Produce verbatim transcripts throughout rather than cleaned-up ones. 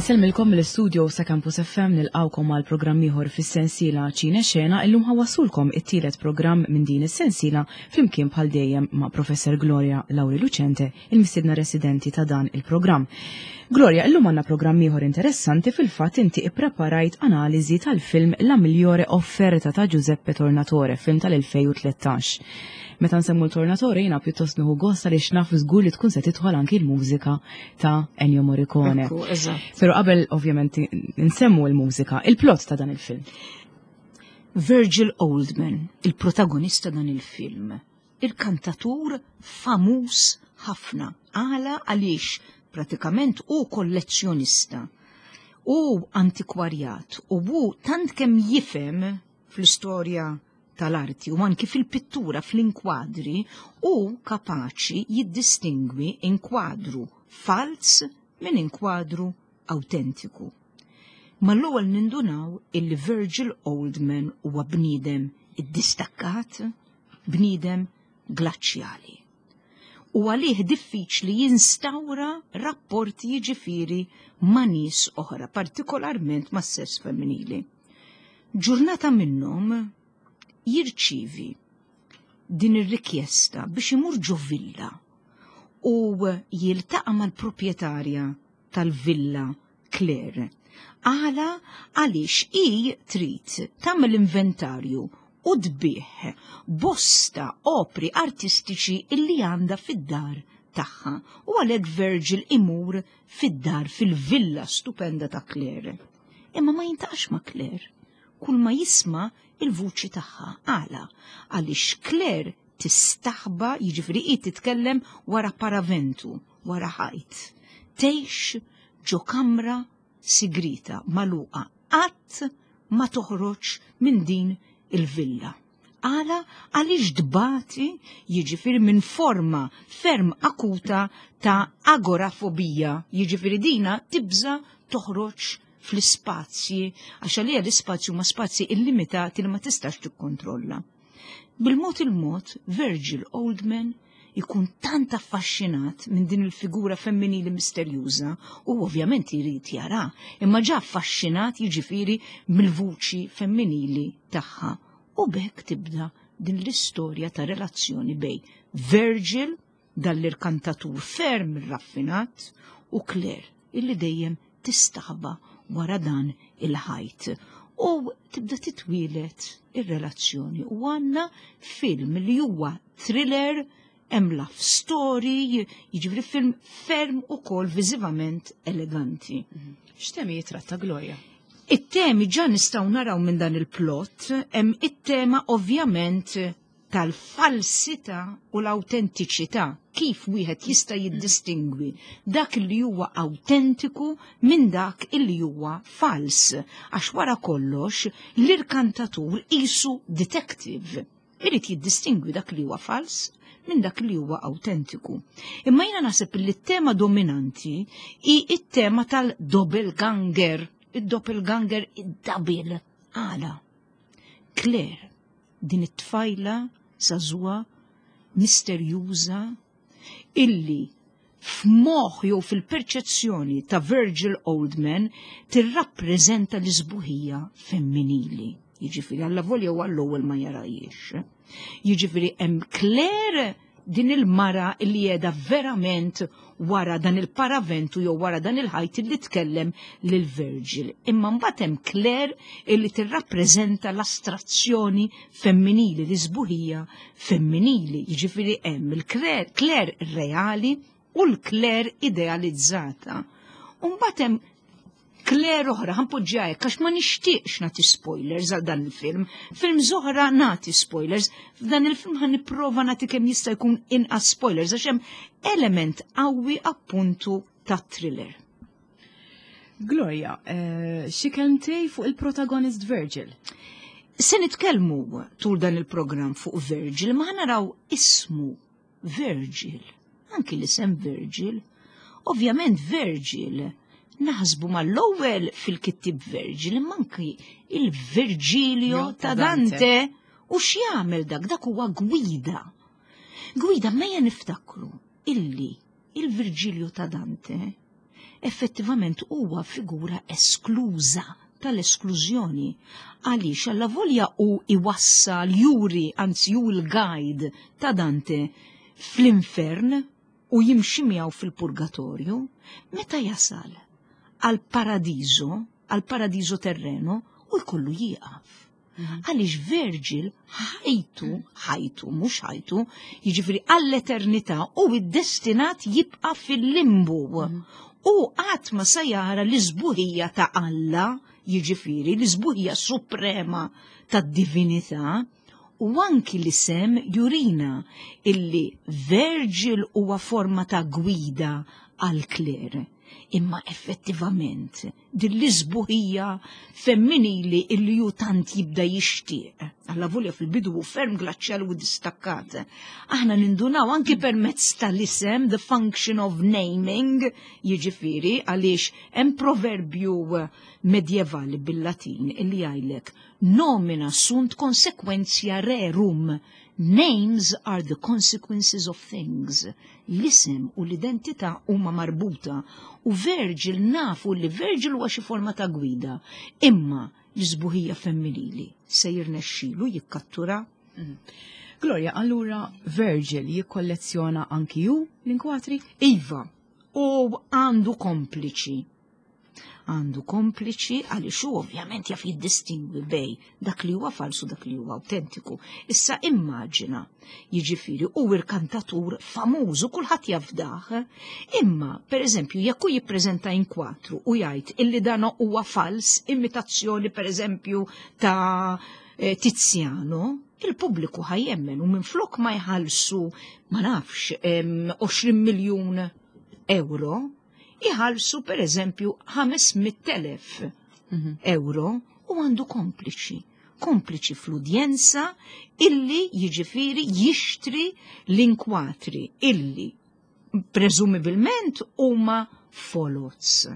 Insellmilkom mill-istudio sa' Campus F M, nilqgħukom għal programm ieħor fis-sensiela Ċine Xena. Illum ħa nwasslulkom it-tielet programm minn din is-sensiela flimkien bħal dejjem ma' Professor Gloria Lauri Lucente, il-mistiedna residenti ta' dan il-programm. Gloria, illum għandna programm ieħor interessanti. Fil-fatt inti ippreparajt analiżi tal-film La Migliore Offerta ta' Giuseppe Tornatore, film tal-elfejn u tlettax. Meta nsemmu l-Tornatore jiena pjuttost nieħu gost għaliex naf żgur li tkun se tidħol anki l-mużika ta' Ennio Morricone. Ekku, eżatt. Pero qabel ovvjament nsemmu l-mużika, il-plot ta' dan il-film. Virgil Oldman, il-protagonista dan il-film, il-kantatur famuż ħafna. Għala? Għaliex pratikament hu kollezzjonista u antikwarjat u hu tant kemm jifhem fl-istorja tal-arti u anki fil-pittura, fl-inkwadri, u kapaċi jiddistingwi inkwadru falz minn inkwadru autentiku. Mal-ewwel nindunaw illi Virgil Oldman huwa bniedem iddistakkat, bniedem glaċjali. U għalih diffiċli jinstawra rapporti, jiġifieri ma' nies oħra, partikolarment ma' sess femminili. Ġurnata minnhom jirċivi din ir-rikjesta biex imur ġo villa u jiltaqa' mal-proprjetarja tal-villa, Claire. Għala? Għaliex i trid tagħmel inventarju u tbigħ bosta opri artistiċi illi għandha fid-dar tagħha u għalhekk Virgil imur fid-dar, fil-villa stupenda ta' Claire. Imma ma jiltaqax ma' Claire. Kull ma jisma' il-vuċi tagħha. Għala? Għaliex Claire tistaħba, jiġifieri hi titkellem wara paraventu, wara ħajt. Tgħix ġo kamra sigrita magħluqa, qatt ma toħroġ minn din il-villa. Għala? Għaliex tbati, jiġifieri, minn forma ferm akuta ta' agorafobija, jiġifieri dina tibża toħroġ fl-ispazji, għax għalija l-ispazju ma spazji illimitati li ma tistax tikkontrolla. Bil-mod il-mod, Virgil Oldman ikun tant affaxxinat minn din il-figura femminili misterjuża u ovvjament jrid jara, imma ġa affaxxinat, jiġifieri, mill-vuċi femminili tagħha. U b'hekk tibda din l-istorja ta' relazzjoni bejn Virgil, dall-irkantatur ferm raffinat, u Claire, illi dejjem tistaħba wara dan il-ħajt. U tibda titwielet ir-relazzjoni u għandna film li huwa thriller, hemm love story, jiġifieri film ferm ukoll viżivament eleganti. X'temi jitratta, Gloria? It-temi ġa nistgħu naraw minn dan il-plot, hemm it-tema ovvjament tal-falsità u l-autentiċità, kif wieħed jista' jiddistingwi dak li huwa autentiku minn dak li huwa fals. Għax wara kollox l-irkantatur qisu detective. Irid jiddistingwi dak li huwa fals minn dak li huwa autentiku. Imma jiena naħseb li t-tema dominanti hi it-tema tal-doppelganger, id-doppelganger, id-double. Għala? Claire, din it-tfajla żagħżugħa, misterjuża, illi f'moħħ jew fil-perċezzjoni ta' Virgil Oldman tirrappreżenta l-isbuħija femminili. Jiġifieri alla volja u għall-ewwel ma jarahiex. Jiġifieri hemm Claire, din il-mara li qiegħda verament wara dan il-paraventu jew wara dan il-ħajt li tkellem lil Virgil. Imma mbagħad hemm Claire illi tirrappreżenta l-astrazzjoni femminili, l-isbuħija femminili. Jiġifieri hemm il-Claire reali u l-Claire idealizzata. U mbagħad hemm Claire oħra, ħa npoġġiha hekk għax ma nixtieqx nagħti spoilers għal dan il-film. Film oħra nagħti spoilers, f'dan il-film ħa nipprova nagħti kemm jista' jkun inqas spoilers għax hemm element qawwi appuntu ta' thriller. Gloria, eh, xi kelmtej fuq il-protagonist Virgil? Se nitkellmu tul dan il-programm fuq Virgil, ma naraw ismu Virgil, anki l-isem Virgil. Ovvjament Virgil naħsbu mal-ewwel fil-kittib Virgil, imma anki il-Virgilio ta' Dante. U x'jagħmel dak? Dak huwa gwida. Gwida, mejja niftakru illi il-Virgilio ta' Dante Effettivament huwa figura eskluża tal-esklużjoni. Għaliex allavolja u iwassal juri, anzi ju l-guide ta' Dante fl-infern u jimxi miegħu fil-purgatorju, meta jasal għal paradiso, għal paradiso terreno, u jkollu jieqaf. Għaliex Virgil ħajtu, ħajtu, mhux ħajtu, jiġifieri għall-eternità u id-destinat jibqa' fil-limbu. U qatt ma se jara l-isbuħija ta' Alla, jiġifieri l-isbuħija suprema tad-divinità, u anki l-isem jurina illi Virgil huwa forma ta' gwida għal Claire. Imma effettivament din l-isbuħija femminili illi ju tant jibda jixtieq. Allavolja fil-bidu hu ferm glaċjali u distakkat. Aħna nindunaw anki permezz tal-isem, the function of naming, jiġifieri għaliex hemm proverbju medjevali bil-Latin illi jgħidlek nomina sunt consequentia rerum. Names are the consequences of things. L-isem u l-identità huma marbuta u Virgil nafu li Virgil huwa xi forma ta' gwida, imma l-isbuħija femminili se jirnexxilu jikkattura. Gloria, allura Virgil jikkollezzjona anki ju l-inkwatri? Iva, u għandu kompliċi. Għandu kompliċi għaliex hu ovvjament jaf jiddistingwi bej dak li huwa falsu dak li huwa autentiku. Issa immaġina, jiġifieri hu irkantatur famuż u kulħadd jafdah, imma pereżempju jekk hu jippreżenta inkwatru u jgħid illi dan huwa fals, imitazzjoni pereżempju ta' eh, Tiziano, il-pubbliku ħajjemmen u minflok ma jħallsu ma nafx em, għoxrin miljun euro, iħallsu per eżempju ħames mitt elef euro u għandu kompliċi. Kompliċi fl-udjenza illi jiġifieri jixtri l-inkwatri illi presumibilment huma folots.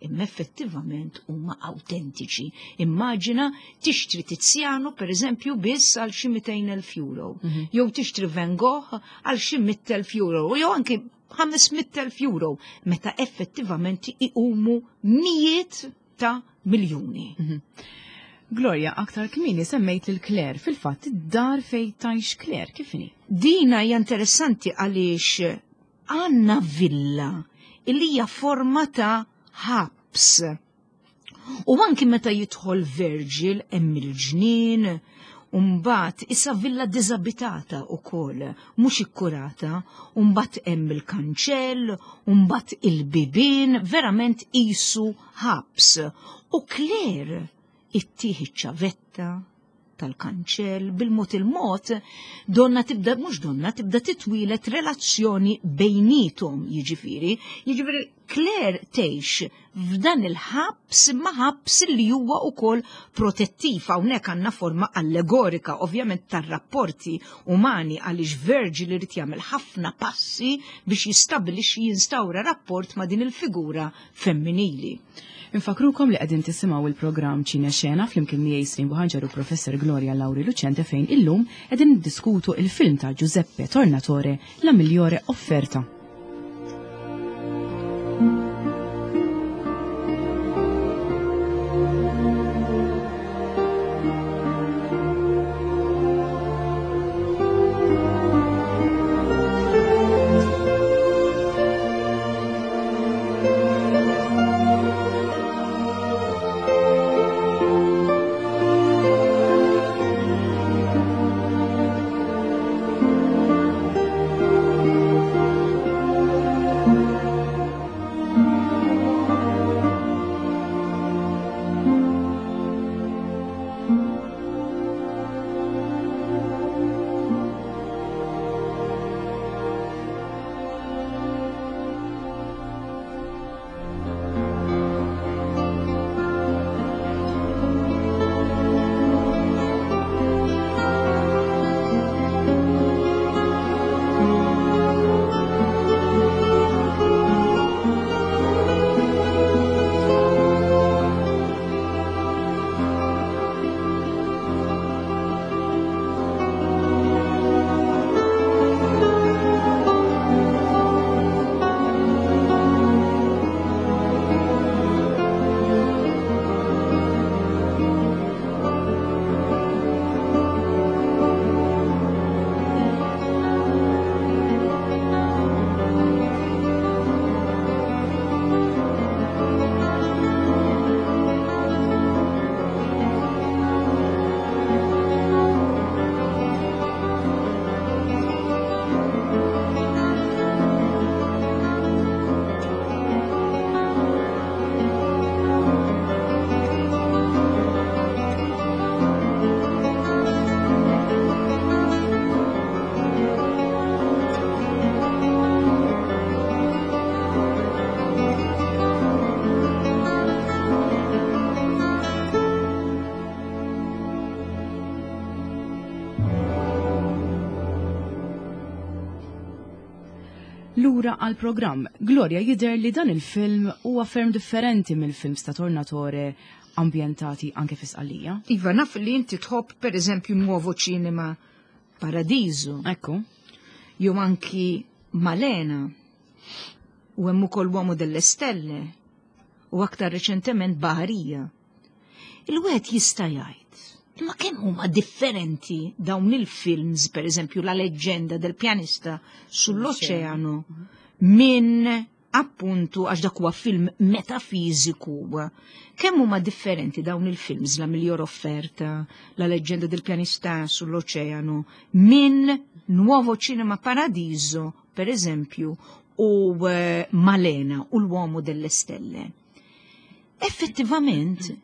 Imma effettivament huma autentiċi. Immaġina tixtri Tiziano per eżempju biss għal xi mitejn elf euro, Mhm. jew tixtri Van Gogh għal xi mitt elf euro, jew anki ħames mitt elf euro, meta effettivament iqumu mijiet ta' miljuni. Mhm. Gloria, aktar kmieni semmejt lil Claire, fil-fatt id-dar fejn tgħix Claire, kif inhi? Dina hija interessanti għaliex għandna villa illi hija forma ta' ħabs. U anki meta jidħol Virgil hemm il-ġnien, u mbagħad issa villa diżabitata wkoll, mhux ikkurata, u mbagħad hemm il-kanċell, u mbagħad il-bibien, verament qisu ħabs. U Claire ittih iċ-ċavetta tal-kanċell, bil-mod il-mod, donna tibda, mhux donna, tibda titwilet relazzjoni bejnietom, jiġifieri. Jiġifieri Claire tgħix f'dan il-ħabs, imma ħabs li huwa wkoll protettiv. Hawnhekk għandna forma allegorika, ovvjament, tar-rapporti umani, għaliex Virgil irid jagħmel ħafna passi biex jistabilixxi jinstawra rapport ma' din il-figura femminili. Infakrukom li qegħdin tisimgħu il-programm Ċine Xena flimkien miegħi Srin Buħanġar u Professor Gloria Lauri Lucente fejn illum qegħdin niddiskutu il-film ta' Giuseppe Tornatore, La Migliore Offerta. Lura għal programm. Gloria, jidher li dan il-film huwa ferm differenti mill-films ta' Tornatore ambjentati anke fi Sqallija. Iva, naf li inti tħobb, per eżempju, Nuovo Cinema Paradiso. Ekku. Jew anki Malena. U hemm ukoll Uomo delle Stelle. U aktar reċentement Baħarija. Il-wieħed jista' jgħid, imma kemm huma differenti dawn il-films, per eżempju, La leggenda del pianista sull'oceano, minn appuntu, għax dak huwa film metafiżiku. Kemm huma differenti dawn il-films, La miglior offerta, La leggenda del pianista sull'oceano, minn Nuovo Cinema Paradiso, per eżempju, u eh, Malena u l-Uomo delle Stelle. Effettivament,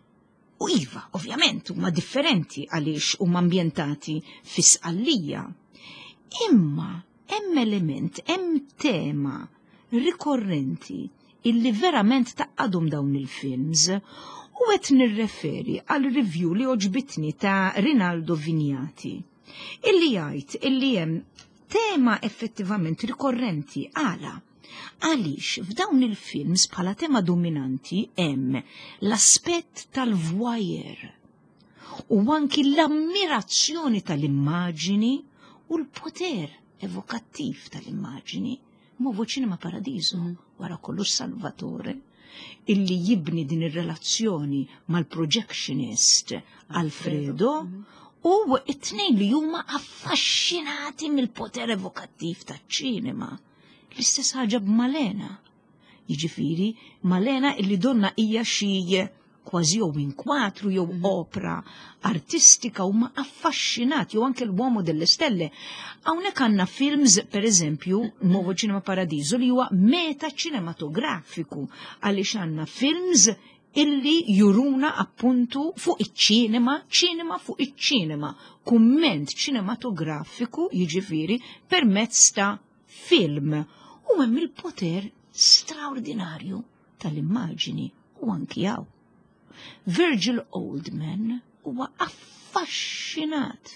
u iva, ovvjament, huma differenti għaliex huma ambjentati fi Sqallija. Imma hemm element, hemm tema rikorrenti illi verament tgħaqqadhom dawn il-films, u qed nirreferi għal review li għoġbitni ta' Rinaldo Vignati, illi jgħid illi hemm tema effettivament rikorrenti. Għala? Għaliex f'dawn il-films bħala tema dominanti hemm l-aspett tal-voyeur u anki l-ammirazzjoni tal-immaġini u l-poter evokattiv tal-immaġini. Nuovo Cinema Paradiso, wara kollox, Salvatore, illi jibni din ir-relazzjoni mal-projectionist Alfredo, u it-tnejn li huma affaxxinati mill-poter evokattiv taċ-ċinema. L-istess ħaġa b'Malena. Jiġifieri, Malena illi donna hija xi kważi jew inkwatru jew opra artistika, huma affaxxinati, jew anke l-Uomo delle Stelle. Hawnhekk għandna films, per eżempju, Nuovo Cinema Paradiso, li huwa meta ċinematografiku, għaliex għandna films illi juruna appuntu fuq iċ-ċinema, ċinema fuq iċ-ċinema, kumment ċinematografiku, jiġifieri permezz ta' film. U hemm il-poter straordinarju tal-immaġini u anki hawn. Virgil Oldman huwa affaxxinat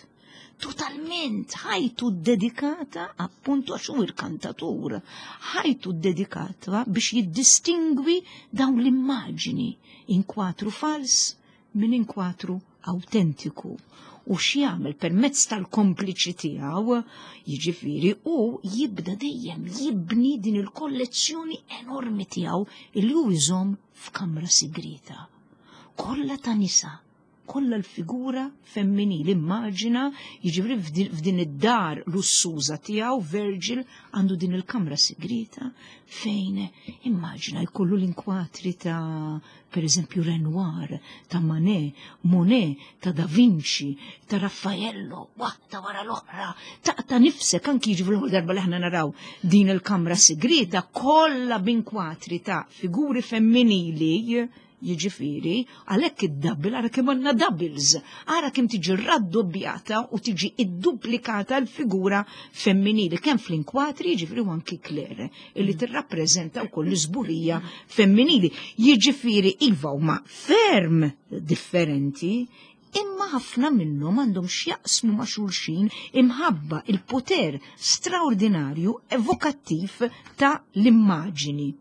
totalment, ħajtu dedikata appuntu, għax hu il-kantatur, ħajtu dedikata biex jiddistingwi dawn l-immaġini, inkwatru fals minn inkwatru autentiku. U x'jagħmel permezz tal-kompliċi tiegħu, jiġifieri, u jibda dejjem jibni din il-kollezzjoni enormi tiegħu illi hu jżomm f'kamra sigrita. Kollha ta' nisa, kollha l-figura femminili, immaġina, jiġifieri f'din id-dar lussuża tiegħu Virgil għandu din il-kamra sigrita fejn immaġina jkollu l-inkwatri ta', per eżempju, Renoir, ta' Manet, Monet, ta' Da Vinci, ta' Raffaello, waħda wara l-oħra, ta' ta' nifsek anki, jiġifieri l darba li aħna naraw din il-kamra sigrita kollha b'inkwatri ta' figuri femminili, jiġifieri, għalhekk id-double, ara kemm għandna doubles, ara kemm tiġi raddobbjata u tiġi idduplikata l-figura femminili, kemm fl-inkwatri, jiġifieri, u anki Claire, illi tirrappreżenta wkoll l-isbuħija femminili. Jiġifieri, iva, huma ferm differenti, imma ħafna minnhom għandhom x'jaqsmu ma' xulxin imħabba il-poter straordinarju evokattiv ta' l-immaġini.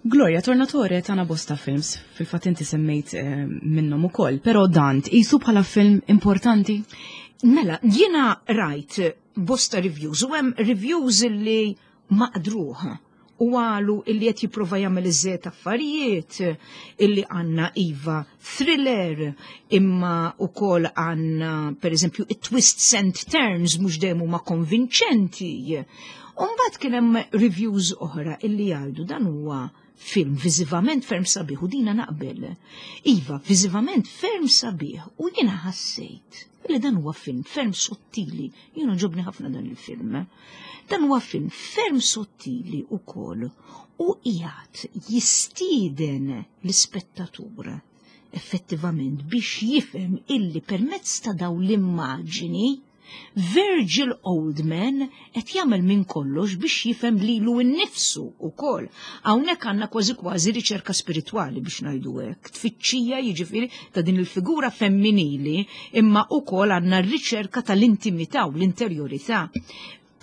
Gloria, Tornatore tana bosta films, fil-fatt inti semmejt eh, minnhom ukoll, però dan tqisu bħala film importanti? Mela, jiena rajt bosta reviews u hemm reviews li maqdruh u qalu illi qed jipprova jagħmel iżżejjed affarijiet, illi għandna iva thriller, imma ukoll għandna, per eżempju, it-twists and turns mhux dejjem huma konvinċenti. U mbagħad kien hemm reviews oħra illi jgħidu dan huwa film viżivament ferm sabiħ, u dina naqbel. Iva, viżivament ferm sabiħ, u jiena ħassejt li dan huwa film ferm sottili. Jiena għoġobni ħafna dan il-film. Dan huwa film ferm sottili ukoll u qiegħed jistieden l-ispettatur effettivament biex jifhem illi permezz ta' dawn l-immaġini Virgil Oldman qed jagħmel minn kollox biex jifhem lilu nnifsu ukoll. Hawnhekk għandna kważi kważi riċerka spiritwali, biex ngħidu hekk, tfittxija, jiġifieri, ta' din il-figura femminili, imma ukoll għandna r-riċerka tal-intimità u l-interjorità.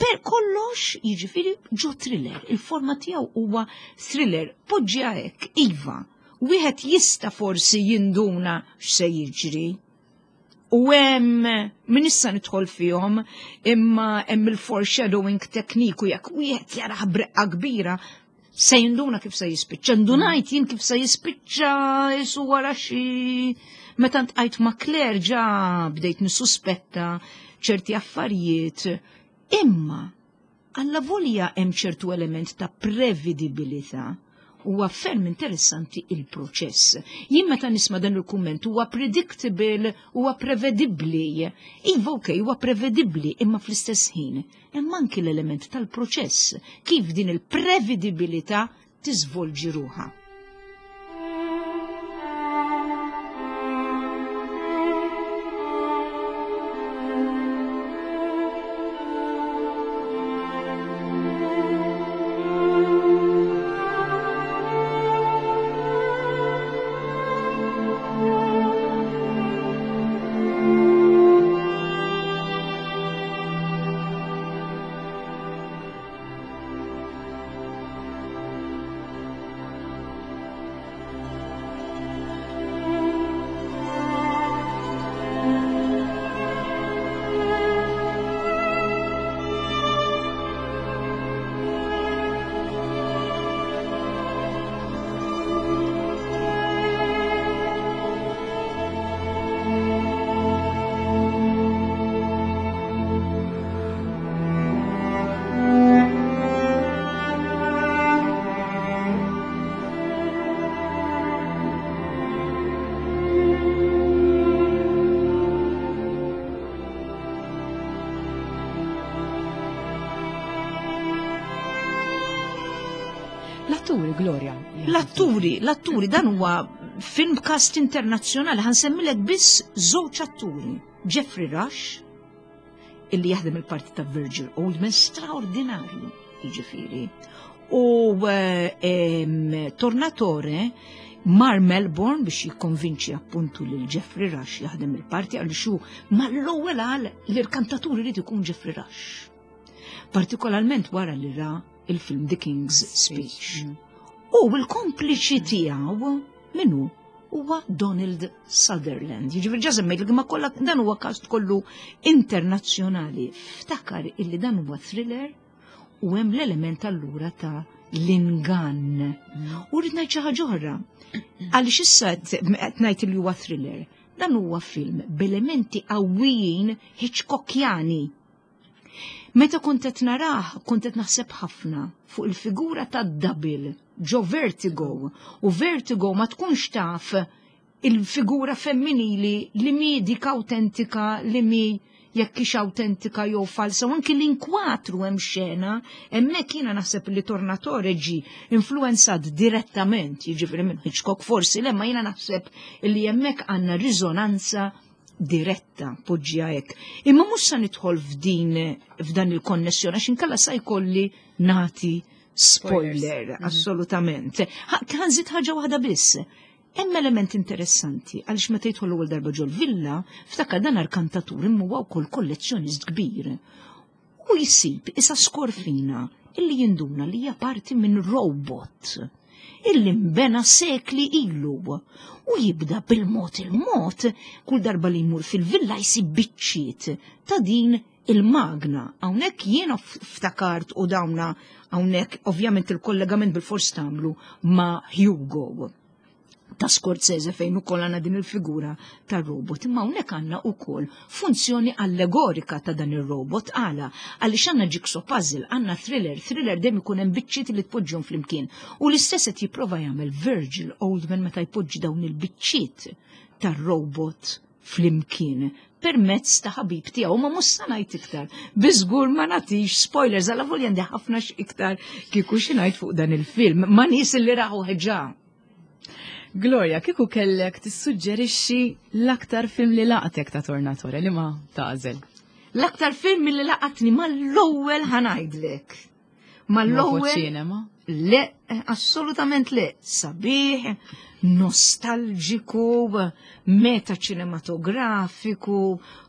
Per kollox jiġifieri ġo thriller, il-forma tiegħu huwa thriller, poġġiha hekk, iva. Wieħed jista' forsi jinduna x'se jiġri. U hemm min issa nidħol fihom, imma hemm il-foreshadowing tekniku jekk wieħed jarah breqqa kbira se jinduna kif se jispiċċa. Ndunajt jien kif se jispiċċa isu wara xi meta ntqajt ma' Claire ġa bdejt nissuspetta ċerti affarijiet. Imma alla volja hemm ċertu element ta' prevedibilità. Huwa ferm interessanti il-proċess. Jien meta nisma' dan il-kumment huwa predictable, huwa prevedibbli. Iva okej, huwa prevedibbli, imma fl-istess ħin hemm anki l-element tal-proċess, kif din il-prevedibilità tiżvolġi ruħha. L-atturi, Gloria. L-atturi, l-atturi, dan huwa film cast internazzjonali, ħansemmilek biss żewġ atturi. Jeffrey Rush, illi jaħdem il-parti ta' Virgil Oldman, straordinarju, jiġifieri. U eh, Tornatore mar Melbourne biex jikkonvinċi appuntu lil Jeffrey Rush jaħdem il-parti għal xu mal-ewwel qal li l-kantatur irid ikun Jeffrey Rush. Partikolarment wara li ra il-film The King's Speech. U l-kompliċi tiegħu minnu huwa Donald Sutherland. Jiġifieri ġa semmejt ma kollha dan huwa cast kollu internazzjonali. Ftakar illi dan huwa thriller u hemm l-element allura ta' l-ingann. U rrid ngħid xi ħaġa oħra. Għaliex issa qed ngħid li huwa thriller. Dan huwa film b'elementi qawwijin Hitchcockjani. Meta kont qed narah, kont qed naħseb ħafna fuq il-figura ta' double ġo Vertigo, u Vertigo ma tkunx taf il-figura femminili li mi dik autentika, li mi jekk hix autentika jew falsa, u anki l-inkwatru hemm xena, hemmhekk jiena naħseb li Tornatore ġi influenzat direttament, jiġifieri minn Hitchcock forsi, le ma jiena naħseb li hemmhekk għandna riżonanza diretta, poġġija hekk. Imma mhux sa nidħol f'din f'dan il-konnessjoni għax inkella sa jkolli nagħti spoiler, assolutament. Ħanżid ħaġa waħda biss. Hemm element interessanti għaliex meta jidħol l-ewwel darba ġol-villa, ftakar dan arkantatur imma huwa wkoll kollezzjonist kbir. U jsib isa skorfina illi jinduna li hija parti minn robot illi mbena sekli ilu u jibda bil-mod il-mod kull darba li jmur fil-villa jsib biċċiet ta' din il-magna. Hawnhekk jiena ftakart u dawna hawnhekk ovvjament il-kollegament bil-fors tagħmlu ma' Hugo ta' Scorsese fejn ukoll għandna din il-figura tar-robot. Imma hawnhekk għandna wkoll funzjoni allegorika ta' dan ir-robot. Għala, għaliex għandna jigsaw puzzle, għandna thriller, thriller dejjem ikun hemm biċċiet li tpoġġihom flimkien. U l-istess qed jipprova jagħmel Virgil Oldman meta jpoġġi dawn il-biċċiet tar-robot flimkien permezz ta' ħabib tiegħu, ma mhux sa ngħid iktar. Biżgur ma nagħtix spoilers, għala volja għandi ħafna iktar kieku xi ngħid fuq dan il-film, ma nies li raħu ħeġa. Gloria, kieku kellek tissuġġerixxi l-aktar film li laqtek ta' Tornatore, li ma tagħżel? L-aktar film li laqatni mal-ewwel ħanajdlek. Mal-ewwel ċinema? Le, assolutament le. Sabiħ, nostalġiku, meta ċinematografiku,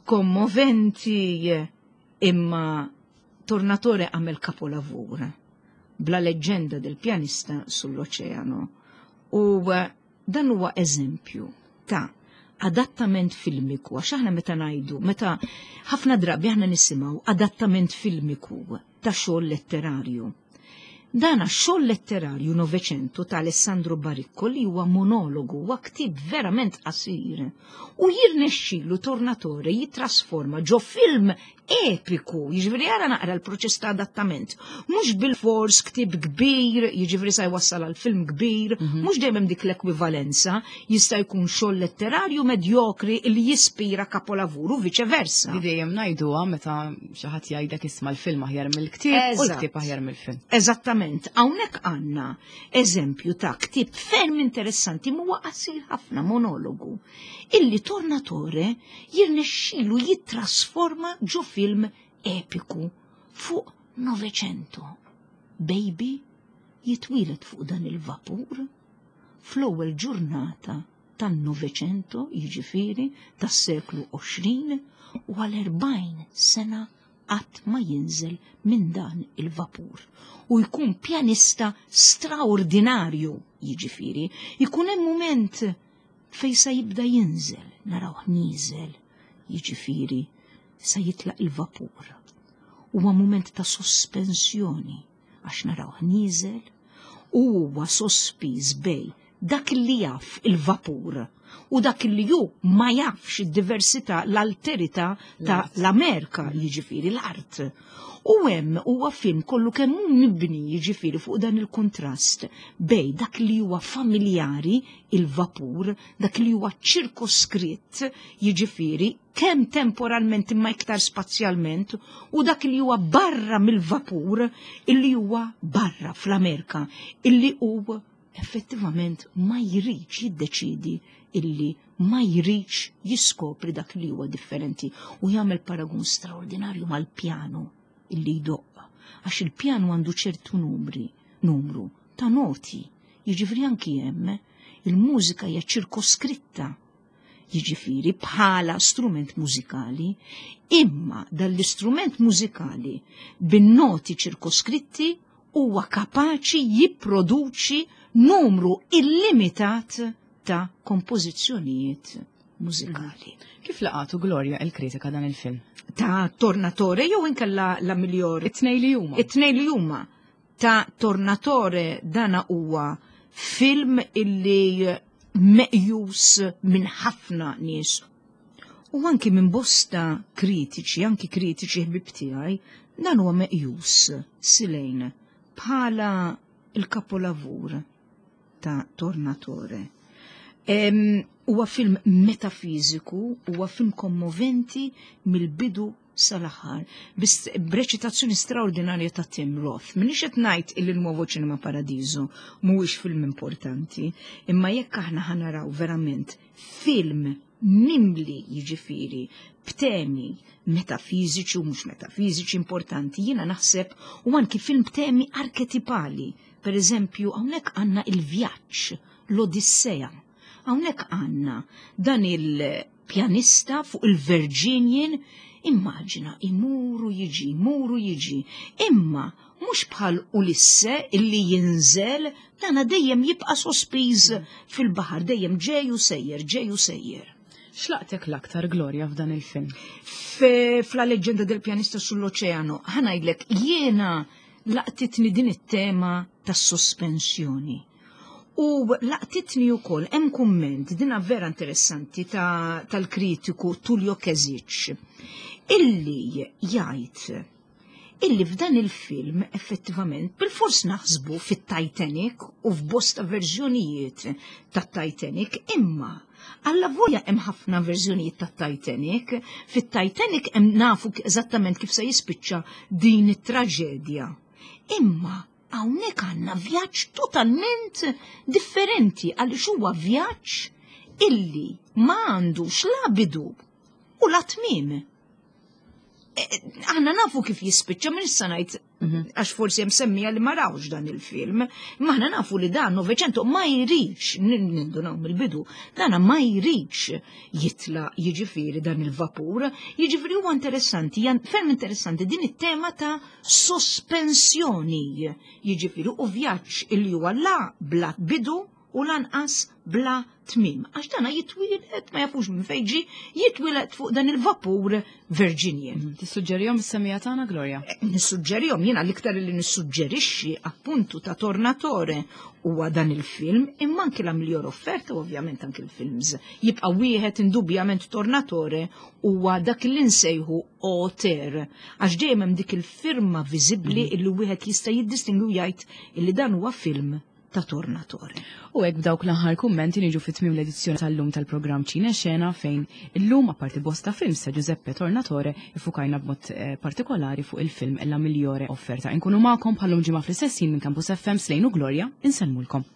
kommoventi, imma Tornatore għamel kapolavur b'La leggenda del pianista sull'oceano. U eh, dan huwa eżempju ta' adattament filmiku, għax aħna meta ngħidu, meta ħafna drabi aħna nisimgħu adattament filmiku ta' xogħol letterarju. Dana xogħol letterarju Novecento ta' Alessandro Baricco li huwa monologu, huwa ktib verament qasir. U jirnexxilu Tornatore jitrasforma ġo film epiku, jiġifieri ara naqra l-proċess ta' adattament. Mhux bil-fors ktib kbir, jiġifieri sa jwassal għal film kbir, mhux dejjem dik l-ekwivalenza, jista' jkun xogħol letterarju medjokri li jispira kapolavur u viċe versa. Di dejjem ngħiduha meta xi ħadd jgħidlek isma' l-film aħjar mill-ktieb u Eżatt. l-ktieb aħjar mill-film. Eżattament, hawnhekk għandna eżempju ta' ktieb ferm interessanti huwa qasir ħafna monologu illi Tornatore jirnexxilu jittrasforma ġo film epiku fuq Novecento. Baby jitwieled fuq dan il-vapur fl-ewwel ġurnata tan-Novecento, jiġifieri tas-seklu għoxrin, u għal erbgħin sena qatt ma jinżel minn dan il-vapur. U jkun pjanista straordinarju, jiġifieri, jkun hemm mument fej sa jibda jinżel, narawh nieżel, jiġifieri sa jitlaq il-vapur. Huwa mument ta' sospensjoni għax narawh nieżel u huwa sospiż bejn dak li jaf il-vapur u dak li ju ma jafx id-diversità, l-alterità ta' l-Amerika, jiġifieri l-art. U hemm huwa film kollu kemm hu mibni jiġifieri fuq dan il-kontrast bejn dak li huwa familjari, il-vapur, dak li huwa ċirkoskritt, jiġifieri kemm temporalment imma iktar spazjalment, u dak li huwa barra mill-vapur, illi huwa barra fl-Amerika, illi hu effettivament ma jridx jiddeċidi illi ma jridx jiskopri dak li huwa differenti u jagħmel paragun straordinarju mal-pjano illi jdoqq, għax il-pjano għandu ċertu numri, numru ta' noti, jiġifieri anki hemm il-mużika hija ċirkoskritta, jiġifieri bħala strument mużikali, imma dal-istrument mużikali bin-noti ċirkoskritti huwa kapaċi jipproduċi numru illimitat ta' kompożizzjonijiet mużikali. Kif laqatu Gloria il-kritika dan il-film? Ta' Tornatore jew inkella La Miglior? It-tnej li huma. It-tnej li huma. Ta' Tornatore dana huwa film illi meqjus minn ħafna nies u anki minn bosta kritiċi, anki kritiċi ħbib tiegħi, dan huwa meqjus silejn bħala il-kapolavur ta' Tornatore. Huwa film metafiżiku, huwa film kommoventi mill-bidu sal-aħħar, b'reċitazzjoni straordinarja ta' Tim Roth. Minix qed ngħid illi l-Nuovo Cinema Paradiso mhuwiex film importanti, imma jekk aħna ħanaraw verament film mimli jiġifieri b'temi metafiżiċi u mhux metafiżiċi importanti, jiena naħseb u anki film b'temi arketipali. Per eżempju, hawnhekk għandna il-vjaġġ, l-Odissea. Hawnhekk għandna dan il-pjanista fuq il-Virginian, immaġina, imuru jiġi, imuru jiġi, imma mhux bħal Ulisse illi jinżel, dana dejjem jibqa' sospiż fil-baħar, dejjem ġej u sejjer, ġej u sejjer. X'laqtek l-aktar Gloria f'dan il-film? F'La leggenda del pianista sull'oceano, ħa ngħidlek, jiena laqtitni din it-tema tas-sospensjoni. U laqtitni wkoll hemm kumment dina vera interessanti tal-kritiku Tullio Kezich illi jgħid illi f'dan il-film effettivament bil-fors naħsbu fit-Titanic u f'bosta verżjonijiet tat-Titanic, imma alla volja hemm ħafna verżjonijiet tat-Titanic, fit-Titanic hemm nafu eżattament kif se jispiċċa din it-traġedja. Imma hawnhekk għandna vjaġġ totalment differenti għaliex huwa vjaġġ illi ma għandux la bidu u la tmiem. Aħna nafu kif jispiċċa, minn issa ngħid Għax forsi hemm semmija li ma rawx dan il-film. Imma aħna nafu li dan Novecento ma jridx, nindunaw mill-bidu, dana ma jridx jitla jiġifieri dan il-vapur. Jiġifieri huwa interessanti, ferm interessanti din it-tema ta' sospensjoni. Jiġifieri u vjaġġ illi huwa la bla bidu u lanqas bla tmim. Għax dana jitwieled, ma jafux minn fejn ġie, jitwieled fuq dan il-vapur Virginian. Mhm. Tissuġġerihom is-semmiegħa tagħna, Gloria? Eh, nissuġġerihom, jiena l-iktar li nissuġġerixxi appuntu ta' Tornatore huwa dan il-film, imma anki La migliore offerta, ovvjament anki il-films. Jibqa' wieħed indubjament Tornatore huwa dak li nsejħu auteur, għax dejjem hemm dik il-firma viżibbli mhm. illi wieħed jista' jiddistingwi jgħid illi dan huwa film ta' Tornatore. U hekk b'dawk l-aħħar kummenti niġu fit tmiem l-edizzjoni tal-lum tal-programm Ċine Xena, fejn illum, apparti bosta films ta' Giuseppe Tornatore, iffukajna b'mod eh, partikolari fuq il-film La Migliore Offerta. Inkunu magħkom bħallum ġimgħa fl-istess minn Campus F M. Slejnu Gloria, insellmulkom.